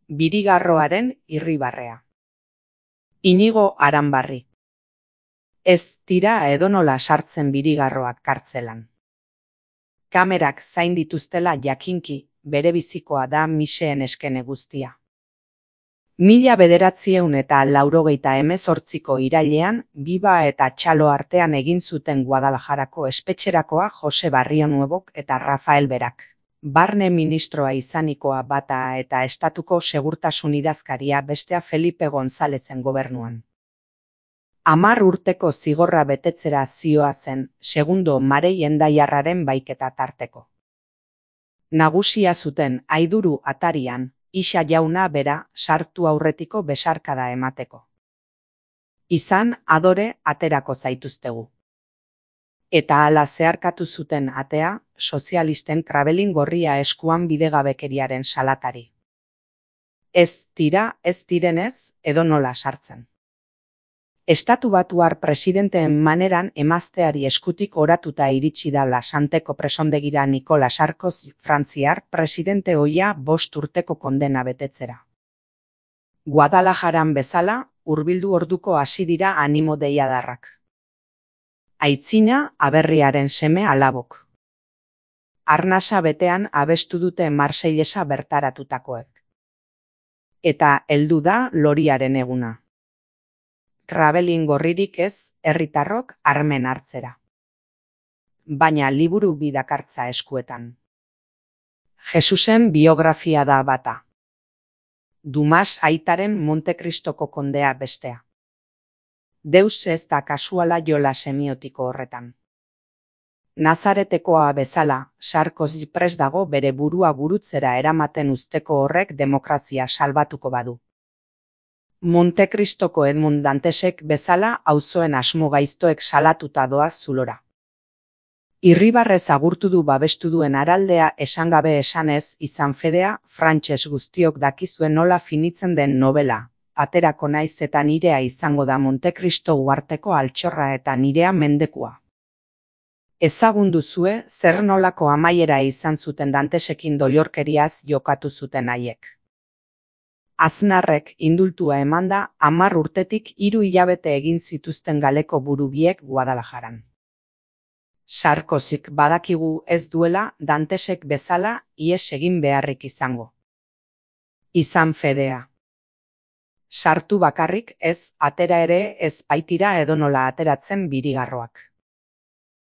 Birigarroaren irribarrea. Inigo Aranbarri. Ez dira edonola sartzen birigarroak kartzelan. Kamerak zain dituztela jakinki, bere bizikoa da miseen eskene guztia. 1988ko irailean, Biba eta Txalo artean egin zuten Guadalajarako espetxerakoa Jose Barrio Nuebok eta Rafael Berak. Barne ministroa izanikoa bata eta estatuko segurtasun idazkaria bestea Felipe Gonzalezen gobernuan. 10 urteko zigorra betetzera zihoazen, segundo Marei Endaiarraren baiketa tarteko. Nagusia zuten Aiduru atarian, Ixa jauna bera sartu aurretiko besarkada emateko. Izan adore aterako zaituztegu. Eta hala zeharkatu zuten atea, sozialisten krabelin gorria eskuan bidegabekeriaren salatari. Ez direnez, edonola sartzen. Estatu Batuar presidenteen maneran emazteari eskutik oratuta iritsi da Lasanteko presondegira Nicolas Sarkozy frantziar presidente ohia 5 urteko kondena betetzera. Guadalajaran bezala, hurbildu orduko hasi dira animo deiadarrak. Aitzina aberriaren seme alabok. Arnasa betean abestu dute Marseillesa bertaratutakoek. Eta heldu da loriaren eguna. Krabelin gorririk ez, herritarrok armen hartzera. Baina liburu bi dakartza eskuetan. Jesusen biografia da bata. Dumas aitaren Montekristoko kondea bestea. Deus ez da kasuala jola semiotiko horretan. Nazaretekoa bezala, Sarkozy prest dago bere burua gurutzera eramaten uzteko horrek demokrazia salbatuko badu. Montekristoko Edmund Dantesek bezala auzoen asmo gaiztoek salatuta doaz zulora. Irribarrez agurtu du babestu duen araldea esan gabe esanez izan fedea, frantses guztiok dakizuen nola finitzen den novela. Aterako naiz eta nirea izango da Montekristo uharteko altxorra eta nirea mendekua. Ezagun duzue zer nolako amaiera izan zuten Dantesekin doilorkeriaz jokatu zuten haiek. Aznarrek indultua emanda 10 urtetik 3 hilabete egin zituzten galeko burubiek Guadalajaran. Sarkozyk badakigu ez duela Dantesek bezala ihes egin beharrik izango. Izan fedea. Sartu bakarrik ez, atera ere ez baitira edonola ateratzen birigarroak.